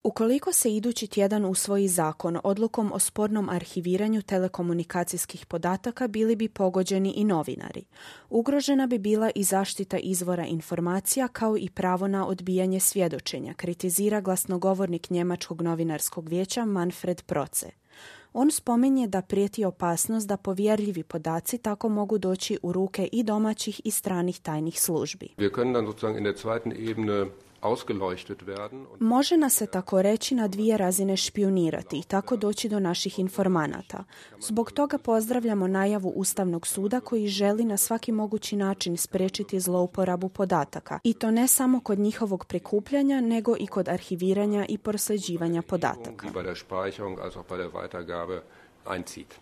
Ukoliko se idući tjedan usvoji zakon odlukom o spornom arhiviranju telekomunikacijskih podataka, bili bi pogođeni i novinari. Ugrožena bi bila i zaštita izvora informacija kao i pravo na odbijanje svjedočenja, kritizira glasnogovornik Njemačkog novinarskog vijeća Manfred Proce. On spominje da prijeti opasnost da povjerljivi podaci tako mogu doći u ruke i domaćih i stranih tajnih službi. Može nas se tako reći na dvije razine špijunirati i tako doći do naših informanata. Zbog toga pozdravljamo najavu Ustavnog suda koji želi na svaki mogući način spriječiti zlouporabu podataka. I to ne samo kod njihovog prikupljanja, nego i kod arhiviranja i prosljeđivanja podataka.